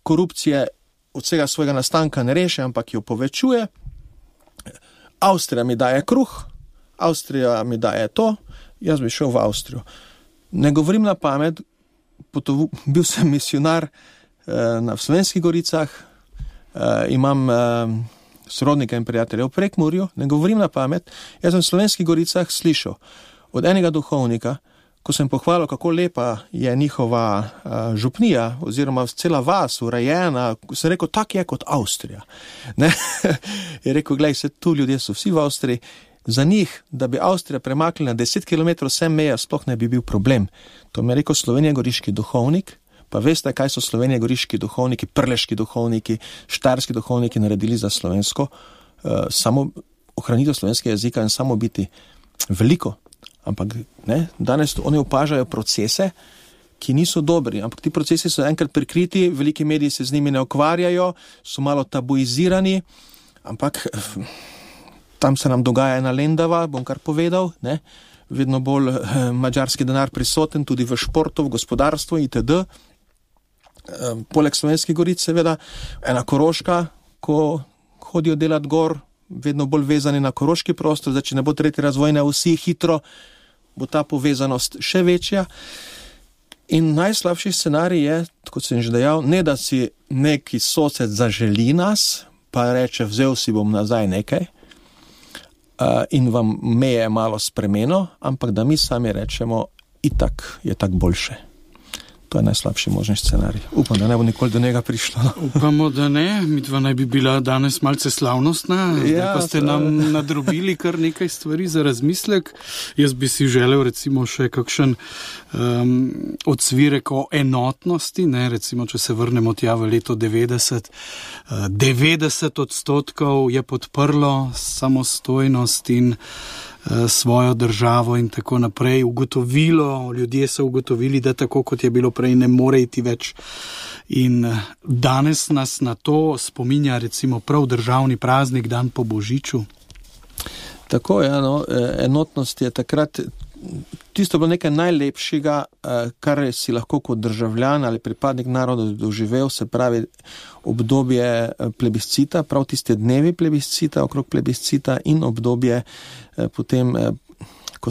korupcije od vsega svojega nastanka ne reše, ampak jo povečuje. Avstrija mi daje kruh, Avstrija mi daje to, jaz bi šel v Avstrijo. Ne govorim na pamet, bil sem misionar v Slovenskih Goricah, imam sorodnika in prijatelja v Prekmurju, ne govorim na pamet, jaz sem v Slovenskih Goricah slišal od enega duhovnika, ko sem pohvalil, kako lepa je njihova župnija oziroma cela vas urejena, sem rekel, tak je kot Avstrija. Ne? Je rekel, glej, se tu ljudje so vsi v Avstriji, za njih, da bi Avstrija premaknila 10 km vse meje, sploh ne bi bil problem. To mi je rekel slovenjegoriški duhovnik, pa veste, kaj so slovenjegoriški duhovniki, prleški duhovniki, štajerski duhovniki naredili za slovensko, samo ohranitev slovenskega jezika in samo biti veliko. Ampak ne, danes oni opažajo procese, ki niso dobri, ampak ti procesi so enkrat prikriti, veliki mediji se z njimi ne ukvarjajo, so malo tabuizirani, ampak tam se nam dogaja ena lendava, bom kar povedal, ne, vedno bolj madžarski denar prisoten, tudi v športu, v gospodarstvu itd. Poleg Slovenskih goric seveda, ena Koroška, ko hodijo delati gor, vedno bolj vezani na koroški prostor, zdaj, če ne bo tretji razvojne vsi hitro, bo ta povezanost še večja. In najslabši scenarij je, kot sem že dejal, ne da si neki sosed zaželi nas, pa reče, vzel si bom nazaj nekaj in vam meje malo spremeno, ampak da mi sami rečemo, itak je tak boljše. To je najslabši možni scenarij. Upam, da ne bo nikoli do njega prišlo. Upamo, da ne. Midva naj bi bila danes malce slavnostna, ja, pa ste nam nadrobili kar nekaj stvari za razmislek. Jaz bi si želel recimo še kakšen odsvirek o enotnosti, ne, recimo, če se vrnemo tja v leto 90, 90% je podprlo samostojnost in svojo državo in tako naprej. Ljudje so ugotovili, da tako kot je bilo prej, ne more iti več. In danes nas na to spominja recimo prav državni praznik, dan po Božiču. Tako je, no, enotnost je takrat tisto bilo nekaj najlepšega, kar si lahko kot državljan ali pripadnik naroda doživel, se pravi obdobje plebiscita, prav tiste dnevi plebiscita, okrog plebiscita in obdobje potem, ko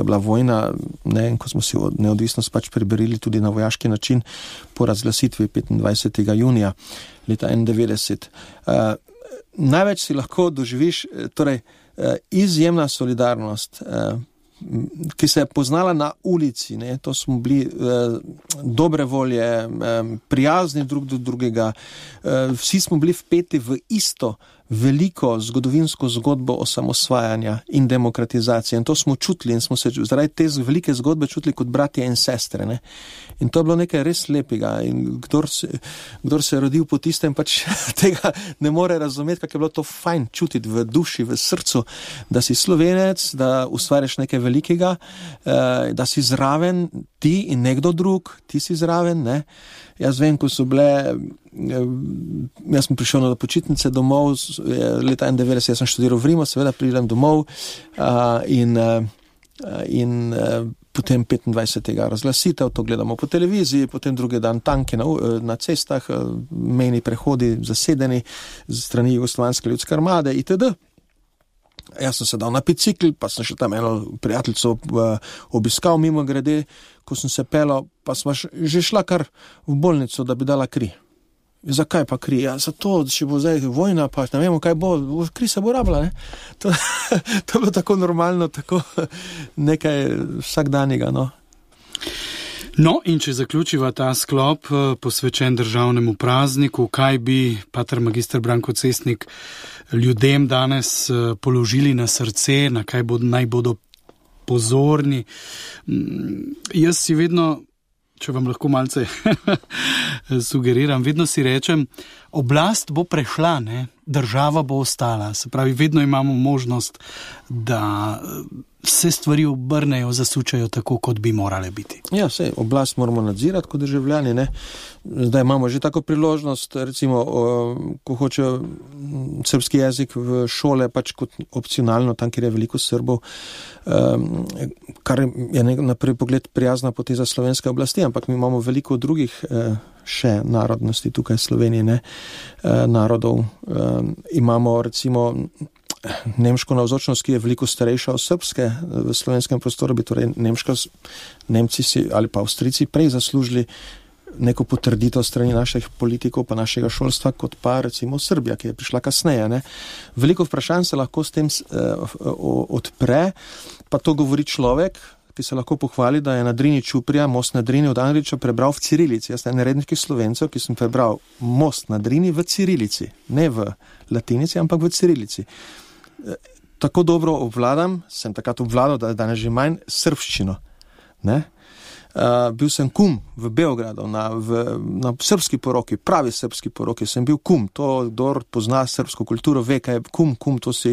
je bila vojna, ne, ko smo si neodvisnost pač preberili tudi na vojaški način po razglasitvi 25. junija leta 1991. Največ si lahko doživiš, torej izjemna solidarnost, ki se je poznala na ulici, ne? To smo bili dobre volje, prijazni drug do drugega, vsi smo bili vpeti v isto veliko zgodovinsko zgodbo osamosvajanja in demokratizacije in to smo čutili in smo se zaradi te velike zgodbe čutili kot bratje in sestre, ne? In to je bilo nekaj res lepega in kdor se je rodil po tistem, pač tega ne more razumeti, kako je bilo to fajn čutiti v duši, v srcu, da si Slovenec, da ustvarjaš nekaj velikega, da si zraven ti in nekdo drug, ti si zraven, ne? Jaz vem, ko so bile, jaz sem prišel na počitnice domov, leta 1991, jaz sem študiral v Rimu, seveda pridem domov in potem 25. razglasitev, to gledamo po televiziji, potem drugi dan tanke na cestah, mejni prehodi zasedeni z strani Jugoslovanske ljudske armade itd. Jaz sem se dal na bicikl, pa sem še tam eno prijateljico obiskal mimo grede, ko sem se pelal, pa sem že šla kar v bolnico, da bi dala kri. Zakaj pa kri? Ja, zato, če bo zdaj vojna, pa ne vemo, kaj bo, kri se bo rabila, ne? To je bilo tako normalno, tako nekaj vsakdanjega, no. No, in če zaključiva ta sklop posvečen državnemu prazniku, kaj bi pater magister Branko Cestnik ljudem danes položili na srce, na kaj naj bodo pozorni? Jaz si vedno, če vam lahko malce sugeriram, vedno si rečem, oblast bo prešla, ne? Država bo ostala. Se pravi, vedno imamo možnost, da se stvari obrnejo, zasučajo tako, kot bi morale biti. Ja, sej, oblast moramo nadzirati kot državljani, ne. Zdaj imamo že tako priložnost, recimo, ko hočejo srbski jezik v šole, pač kot opcionalno, tam, kjer je veliko Srbov, kar je na prvi pogled prijazna poteza slovenske oblasti, ampak mi imamo veliko drugih še narodnosti tukaj v Sloveniji, ne, narodov. Imamo recimo nemško navzočnost, ki je veliko starejša od srbske v slovenskem prostoru, bi torej Nemci si, ali pa Avstrijci prej zaslužili neko potrditev strani naših politikov pa našega šolstva, kot pa recimo Srbija, ki je prišla kasneje. Ne. Veliko vprašanj se lahko s tem odpre, pa to govori človek, ki se lahko pohvali, da je na Drini Čuprija, most na Drini od Andrića prebral v cirilici. Jaz sem rednih Slovencev, ki sem prebral most na Drini v cirilici, ne v latinici, ampak v cirilici. Tako dobro obvladam, sem takrat obvladal, da danes že manj srbščino. Ne? Bil sem kum v Beogradu, na srpski poroki, pravi srpski poroki, sem bil kum. To, kdor pozna srpsko kulturo, ve, kaj je kum, to si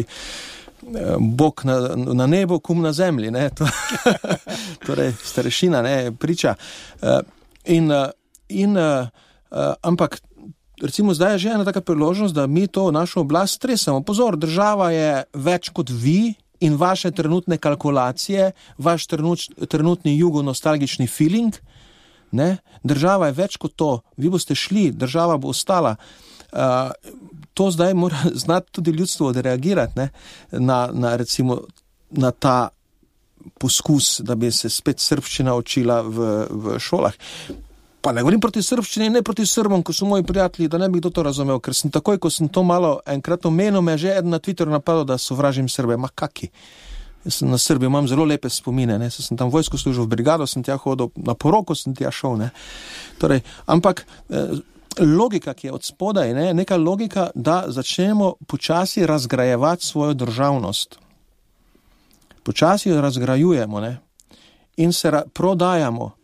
Bog na nebu, kum na zemlji, ne? Torej, starešina, ne, priča. Ampak, recimo, zdaj je že ena taka priložnost, da mi to našo oblast stresamo. Pozor, država je več kot vi in vaše trenutne kalkulacije, vaš trenutni jugo-nostalgični feeling, ne? Država je več kot to. Vi boste šli, država bo ostala. To zdaj mora znati tudi ljudstvo odreagirati, ne? Recimo, na ta poskus, da bi se spet srbščina učila v šolah. Pa ne govorim proti srbščini, ne proti Srbom, ko so moji prijatelji, da ne bi kdo to razumel, ker sem takoj, ko sem to malo enkrat omenil, me že eden na Twitteru napadal, da sovražim Srbe. Ma kaki? Jaz sem na Srbiji, imam zelo lepe spomine, ne? Sem tam vojsko služil v brigado, sem tja hodil, na poroko sem tja šel, ne? Torej, ampak logika, ki je od spodaj, ne? Neka logika, da začnemo počasi razgrajevati svojo državnost. Počasi jo razgrajujemo, ne? In se prodajamo.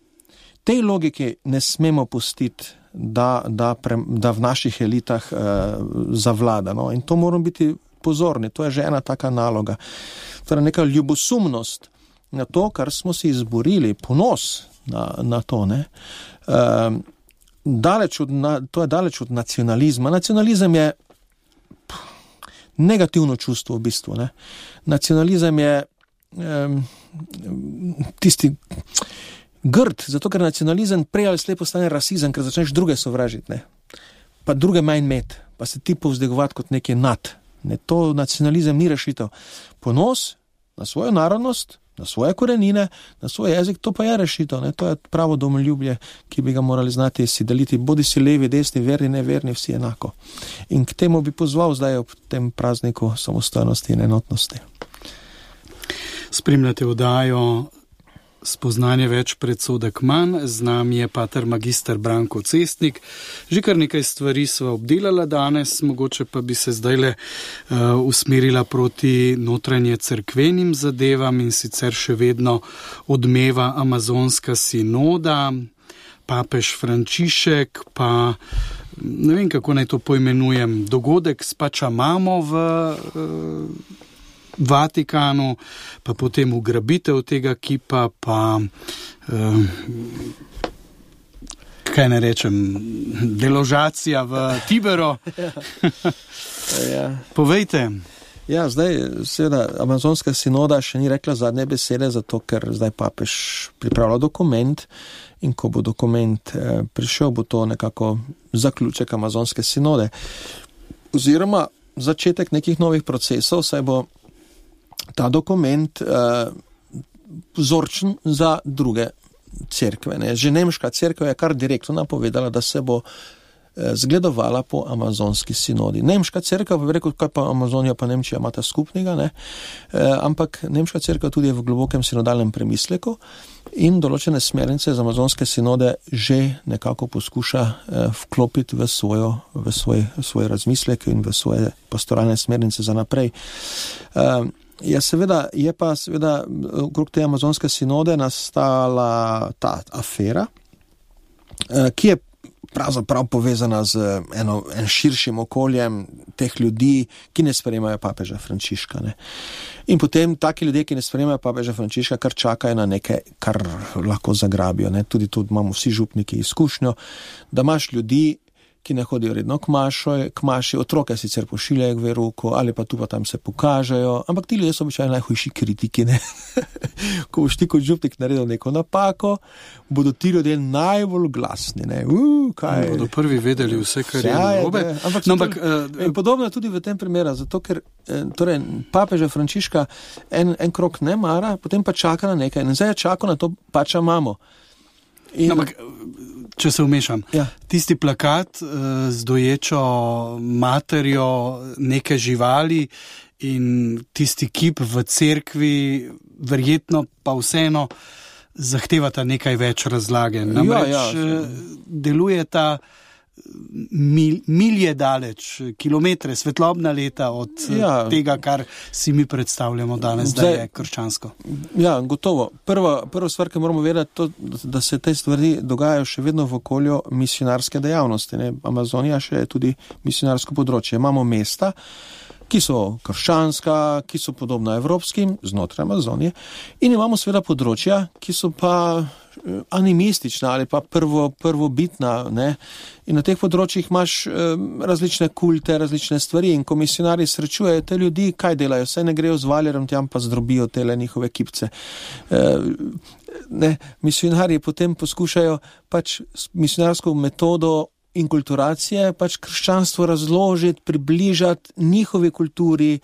Tej logiki ne smemo pustiti, da v naših elitah zavlada. No? In to moramo biti pozorni. To je že ena taka naloga. Torej neka ljubosumnost na to, kar smo si izborili, ponos na to. Ne? To je daleč od nacionalizma. Nacionalizem je negativno čustvo v bistvu. Ne? Nacionalizem je tisti grd, zato ker nacionalizem prej ali slej postane rasizem, ker začneš druge sovražiti, ne? Pa druge manj imeti, pa se ti povzdigovati kot nekaj nad. Ne? To nacionalizem ni rešitev. Ponos na svojo narodnost, na svoje korenine, na svoj jezik, to pa je rešitev. Ne? To je pravo domoljubje, ki bi ga morali znati si deliti, bodi si levi, desni, verni, neverni, vsi enako. In k temu bi pozval zdaj ob tem prazniku samostojnosti in enotnosti. Spremljate oddajo Spoznanje več, predsodek manj. Z nami je pater magister Branko Cestnik. Že kar nekaj stvari sva obdelala danes, mogoče pa bi se zdajle usmerila proti notranje cerkvenim zadevam in sicer še vedno odmeva amazonska sinoda, papež Frančišek, pa ne vem, kako naj to poimenujem, dogodek s Pačamamo v Vatikanu, pa potem ugrabitev tega kipa, pa kaj ne rečem, deložacija v Tiberu. Ja. Povejte. Ja, zdaj seveda amazonska sinoda še ni rekla zadnje besede, zato ker zdaj papež pripravlja dokument in ko bo dokument prišel, bo to nekako zaključek amazonske sinode. Oziroma začetek nekih novih procesov, saj bo ta dokument vzorčen za druge cerkve. Ne. Že nemška cerkev je kar direktno napovedala, da se bo zgledovala po amazonski sinodi. Nemška cerkev pa bi rekel, kaj pa Amazonija pa Nemčija imata skupnega, ne? Ampak nemška cerkev tudi je v globokem sinodalnem premisleku in določene smernice z amazonske sinode že nekako poskuša vklopiti v svoj razmislek in v svoje pastoralne smernice za naprej. Je pa okrog te amazonske sinode nastala ta afera, ki je pravzaprav povezana z en širšim okoljem teh ljudi, ki ne sprejemajo papeža Frančiška. Ne. In potem taki ljudje, ki ne sprejemajo papeža Frančiška, kar čakajo na nekaj, kar lahko zagrabijo. Ne. Tudi tu imamo vsi župniki izkušnjo, da imaš ljudi, ki ne hodijo redno k maši, otroke sicer pošiljajo k veruku, ali pa tu pa tam se pokažejo, ampak ti ljudje so običajno najhujši kritiki, ne. Ko boš ti kot župnik naredil neko napako, bodo ti ljudje najbolj glasni, ne. Kaj? Bodo prvi vedeli vse, kar je narobe. In podobno je tudi v tem primeru, zato ker torej, papeža Frančiška en krok ne mara, potem pa čaka na nekaj. In zdaj je čakal na to Pačamamo. Ampak, če se vmešam, tisti plakat z doječo materjo neke živali in tisti kip v cerkvi, verjetno pa vseeno zahtevata nekaj več razlage. Namreč deluje ta milje daleč, kilometre, svetlobna leta od tega, kar si mi predstavljamo danes, da je krščansko. Ja, gotovo. Prva stvar, ki moramo vedeti, to, da se te stvari dogajajo še vedno v okolju misionarske dejavnosti. Ne? Amazonija še je tudi misionarsko področje. Imamo mesta, ki so krščanska, ki so podobna evropskim, znotraj Amazonije, in imamo seveda področja, ki so pa animistična ali pa prvobitna, ne? In na teh področjih imaš različne kulte, različne stvari in ko misionarji srečujejo te ljudi, kaj delajo? Saj ne grejo z valjerom tam pa zdrobijo tele njihove kipce. Misionarji potem poskušajo pač misionarsko metodo inkulturacije, pač krščanstvo razložiti, približati njihovi kulturi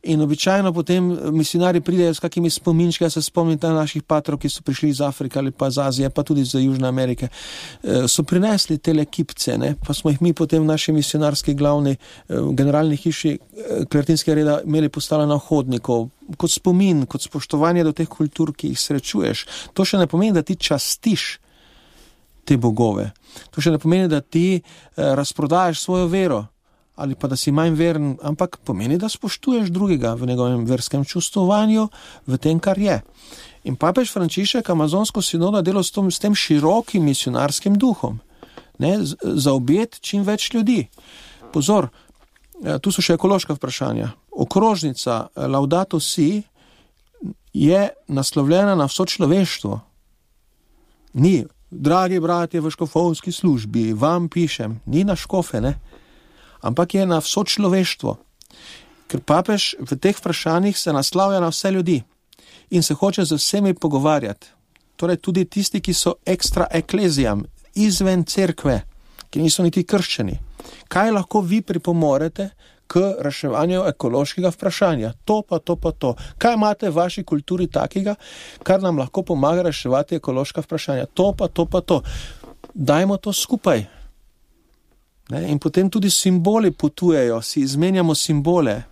in običajno potem misionarji pridejo s kakimi spominčki, se spomnite naših patrov, ki so prišli iz Afrike ali pa iz Azije, pa tudi iz Južne Amerike, so prinesli tele kipce, ne? Pa smo jih mi potem v naši misionarski glavni generalni hiši Kleritinskega reda imeli postavljeno na hodnikov, kot spomin, kot spoštovanje do teh kultur, ki jih srečuješ. To še ne pomeni, da ti častiš te bogove. To še ne pomeni, da ti razprodajaš svojo vero ali pa da si manj veren, ampak pomeni, da spoštuješ drugega v njegovem verskem čustvovanju, v tem, kar je. In papež Frančišek amazonsko sinodo delo s tem širokim misionarskim duhom, ne, zaobjeti čim več ljudi. Pozor, tu so še ekološka vprašanja. Okrožnica Laudato Si je naslovljena na vso človeštvo. Ni dragi bratje v škofovski službi, vam pišem, ni na škofe, ne? Ampak je na vso človeštvo. Ker papež v teh vprašanjih se naslavlja na vse ljudi in se hoče z vsemi pogovarjati. Torej tudi tisti, ki so ekstra eklezijam, izven cerkve, ki niso niti krščani. Kaj lahko vi pripomorete k reševanju ekološkega vprašanja? To pa to. Kaj imate v vaši kulturi takega, kar nam lahko pomaga reševati ekološka vprašanja? To pa to. Dajmo to skupaj. Ne? In potem tudi simboli potujejo, si izmenjamo simbole.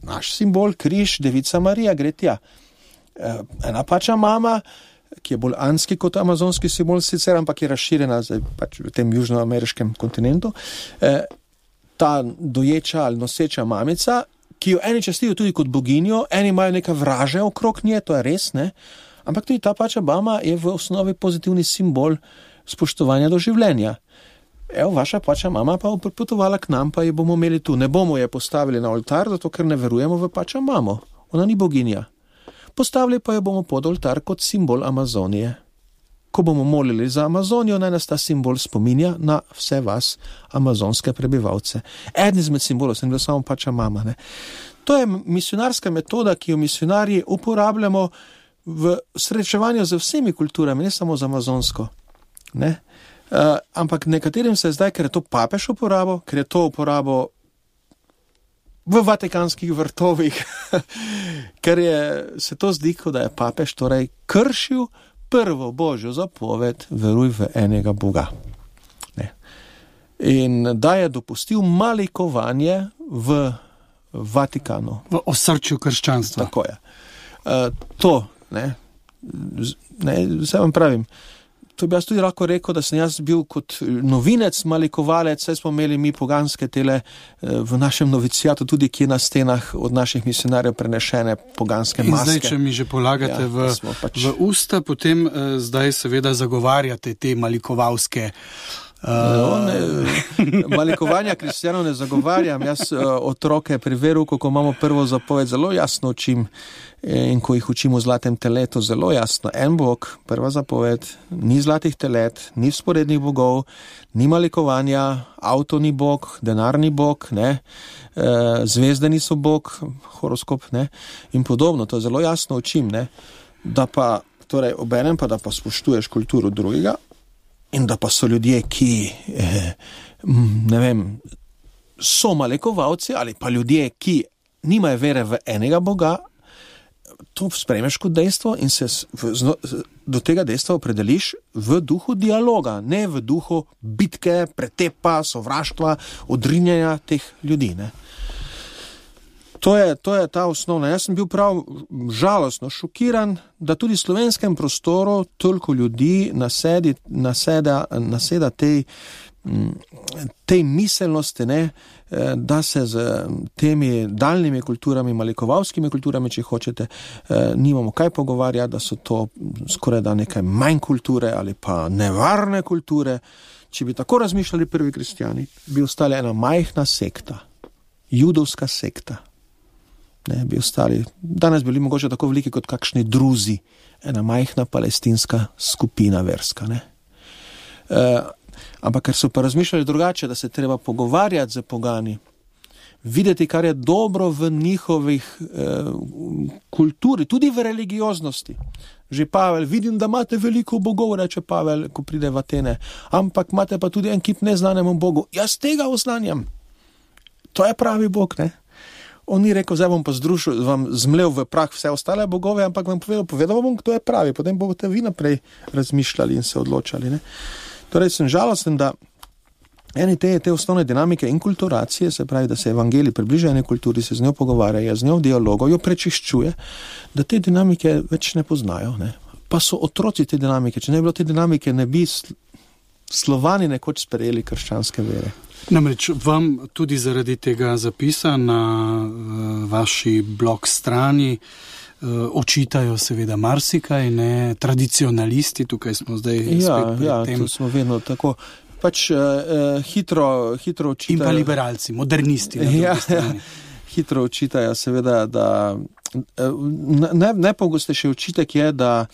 Naš simbol, križ, Devica Marija, gre tja. Ena pača mama, ki je bolj anski kot amazonski simbol sicer, ampak je razširjena pač v tem južnoameriškem kontinentu, ta doječa ali noseča mamica, ki jo eni častijo tudi kot boginjo, eni imajo neka vraže okrog nje, to je res, ne? Ampak tudi ta pača mama je v osnovi pozitivni simbol spoštovanja do življenja. Evo, vaša pača mama pa bo potovala k nam, pa jo bomo imeli tu. Ne bomo je postavili na oltar, zato ker ne verujemo v pača mamo. Ona ni boginja. Postavili pa jo bomo pod oltar kot simbol Amazonije. Ko bomo molili za Amazonijo, naj nas ta simbol spominja na vse vas, amazonske prebivalce. Eden izmed simbolov sem bil samo pača mama. Ne? To je misionarska metoda, ki jo misionarji uporabljamo v srečevanju z vsemi kulturami, ne samo z amazonsko. Ne? Ampak nekaterim se zdaj, ker je to papež uporabo, ker je to uporabo v vatikanskih vrtovih, ker se to zdi, kot da je papež torej kršil prvo božjo zapoved, veruj v enega Boga. Ne. In da je dopustil malikovanje v Vatikanu. V osrčju krščanstva. Tako je. To, ne, vse vam pravim, to bi jaz tudi lahko rekel, da sem jaz bil kot novinec, malikovalec, saj smo imeli mi poganske tele v našem novicijatu, tudi kje na stenah od naših misionarjev prenešene poganske maske. In zdaj, če mi že polagate v usta, potem zdaj seveda zagovarjate te malikovalske malikovanja kristjanov ne zagovarjam. Jaz otroke pri veruku, ko imamo prvo zapoved, zelo jasno učim in ko jih učimo v zlatem teletu, zelo jasno. En Bog, prva zapoved, ni zlatih telet, ni vzporednih bogov, ni malikovanja, avto ni Bog, denar ni Bog, ne, zvezde niso Bog, horoskop, ne, in podobno. To zelo jasno učim, ne, da pa, torej obenem pa, da pa spoštuješ kulturo drugega, in da pa so ljudje, ki, ne vem, so malikovalci ali pa ljudje, ki nimajo vere v enega Boga, to sprejmeš kot dejstvo in se do tega dejstva opredeliš v duhu dialoga, ne v duhu bitke, pretepa, sovraštva, odrinjanja teh ljudi, ne. To je ta osnovna. Jaz sem bil prav žalostno šokiran, da tudi v slovenskem prostoru toliko ljudi naseda tej miselnosti, ne, da se z temi daljnimi kulturami, malikovalskimi kulturami, če hočete, nimamo kaj pogovarjati, da so to skoraj da nekaj manj kulture ali pa nevarne kulture. Če bi tako razmišljali prvi kristjani, bi ostala ena majhna sekta, judovska sekta. Ne, bi ostali, danes bili mogoče tako veliki kot kakšni druzi, ena majhna palestinska skupina verska, ne. Ampak ker so pa razmišljali drugače, da se treba pogovarjati z pogani, videti, kar je dobro v njihovih kulturi, tudi v religioznosti. Že Pavel, vidim, da imate veliko bogov, reče Pavel, ko pride v Atene, ampak imate pa tudi en kip neznanemu bogu. Jaz tega oznanjam. To je pravi bog, ne. On ni rekel, zdaj bom pa vam zmlel v prah vse ostale bogove, ampak vam povedal bom, kdo je pravi, potem boste vi naprej razmišljali in se odločali, ne. Torej sem žalosten, da eni te osnovne dinamike inkulturacije, se pravi, da se evangelij približa eni kulturi, se z njo pogovarja, z njo v dialogu, jo prečiščuje, da te dinamike več ne poznajo, ne. Pa so otroci te dinamike, če ne bi bilo te dinamike, ne bi Slovani nekoč sprejeli krščanske vere. Namreč vam tudi zaradi tega zapisa na vaši blog strani očitajo seveda marsikaj, ne, tradicionalisti, tukaj smo zdaj spet pred tem. Ja, tu smo vedno tako, pač hitro očitajo. In pa liberalci, modernisti na drugi strani. Hitro očitajo seveda, da najpogostejši očitek je, da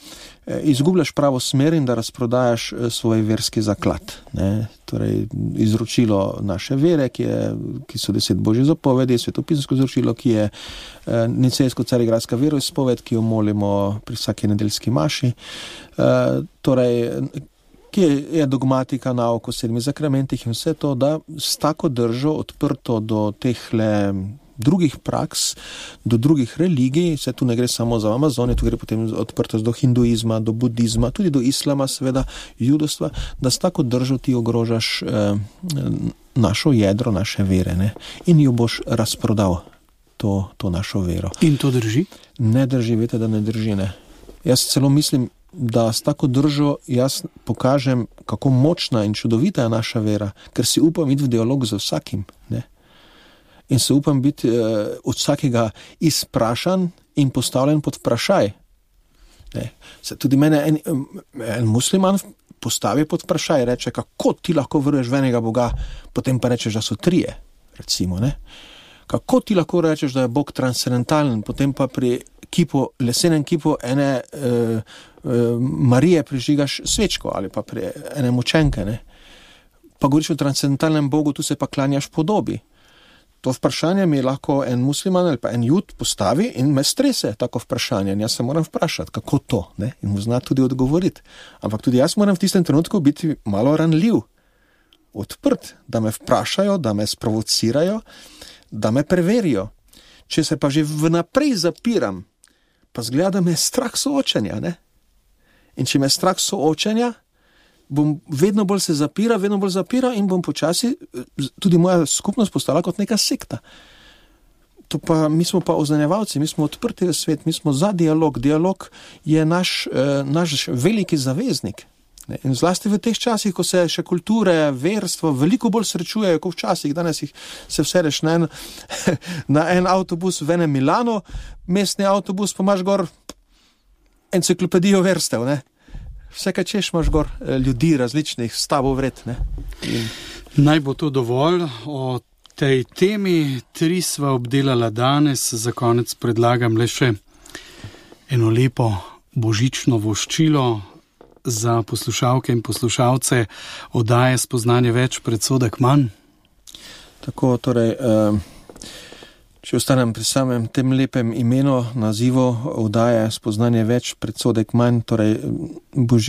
izgubljaš pravo smer in da razprodajaš svoj verski zaklad, ne. Torej, izročilo naše vere, ki so 10 božjih zapovedi, svetopisansko izročilo, ki je nicejsko-carigradska veroizpoved, ki jo molimo pri vsaki nedeljski maši, torej, ki je dogmatika nauk o 7 zakramentih in vse to, da s tako držo odprto do tehle drugih praks, do drugih religij, se tu ne gre samo za Amazonijo, tu gre potem odprtost do hinduizma, do budizma, tudi do islama, seveda judovstva, da s tako držo ti ogrožaš našo jedro, naše vere, ne? In jo boš razprodal, to našo vero. In to drži? Ne drži, veste, da ne drži, ne. Jaz celo mislim, da s tako držo jaz pokažem, kako močna in čudovita je naša vera, ker si upam iti v dialog z vsakim, ne. In se upam biti od vsakega izprašan in postavljen pod vprašaj. Se tudi mene en musliman postavi pod vprašaj, reče, kako ti lahko veruješ v enega Boga, potem pa rečeš, da so 3, recimo, ne. Kako ti lahko rečeš, da je Bog transcendentalen, potem pa pri lesenem kipu ene Marije prižigaš svečko ali pa pri ene mučenke, ne. Pa govoriš o transcendentalnem Bogu, tu se pa klanjaš podobi. To vprašanje mi lahko en musliman ali pa en jud postavi in me strese tako vprašanje. In jaz se moram vprašati, kako to, ne? In mu zna tudi odgovoriti. Ampak tudi jaz moram v tistem trenutku biti malo ranljiv, odprt, da me vprašajo, da me sprovocirajo, da me preverijo. Če se pa že vnaprej zapiram, pa zgleda, da me je strah soočenja, ne? In če me je strah soočenja, bom vedno bolj se zapira in bom počasi, tudi moja skupnost postala kot neka sekta. Mi smo pa oznanjevalci, mi smo odprti v svet, mi smo za dialog. Dialog je naš veliki zaveznik. In zlasti v teh časih, ko se še kulture, verstvo veliko bolj srečujejo, kot včasih. Danes se vsedeš na en avtobus v enem Milano, mestni avtobus, pa imaš gor enciklopedijo verstev, ne. Vse, kaj češ, imaš gor ljudi različnih stavov vred, ne. Naj bo to dovolj o tej temi. 3 sva obdelala danes, za konec predlagam le še eno lepo božično voščilo za poslušalke in poslušalce oddaje Spoznanje več, predsodek manj. Tako, torej, če ostanem pri samem tem lepem imenu, nazivu oddaje Spoznanje več, predsodek manj, torej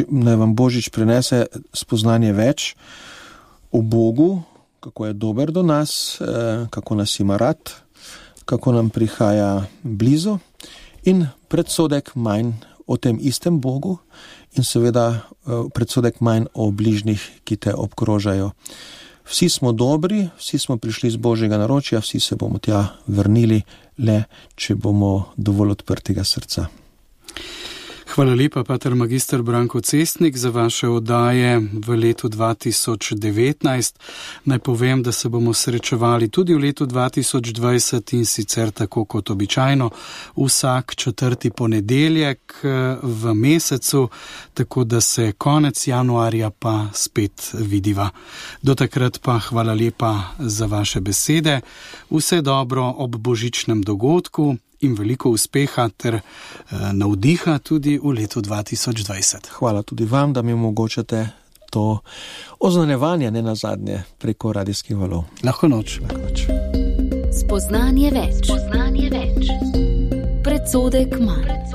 naj vam Božič prinese spoznanje več o Bogu, kako je dober do nas, kako nas ima rad, kako nam prihaja blizu in predsodek manj o tem istem Bogu in seveda predsodek manj o bližnjih, ki te obkrožajo. Vsi smo dobri, vsi smo prišli z Božjega naročja, vsi se bomo tja vrnili, le če bomo dovolj odprtega srca. Hvala lepa, pater magister Branko Cestnik, za vaše oddaje v letu 2019. Naj povem, da se bomo srečevali tudi v letu 2020 in sicer tako kot običajno vsak 4. ponedeljek v mesecu, tako da se konec januarja pa spet vidiva. Do takrat pa hvala lepa za vaše besede. Vse dobro ob božičnem dogodku in veliko uspeha ter navdiha tudi v letu 2020. Hvala tudi vam, da mi omogočate to oznanjevanje nenazadnje preko radijskih valov. Lahko noč. Spoznanje več. Predsodek manj.